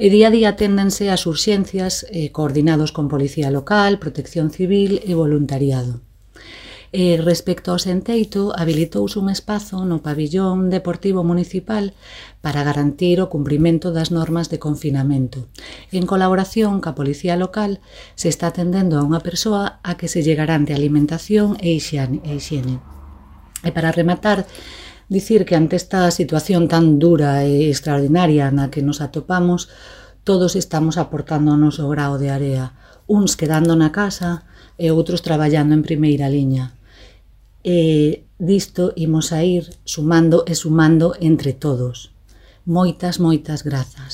E día a día aténdense as urxencias coordinados con Policía Local, Protección Civil e voluntariado. Respecto ao Senteito, habilitouse un espazo no pabillón deportivo municipal para garantir o cumprimento das normas de confinamento. En colaboración ca Policía Local se está atendendo a unha persoa a que se lle garante alimentación e hixiene. E para rematar, dicir que ante esta situación tan dura e extraordinaria na que nos atopamos, todos estamos aportando o noso grao de area, uns quedando na casa e outros traballando en primeira liña. Disto imos a ir sumando e sumando entre todos. Moitas grazas.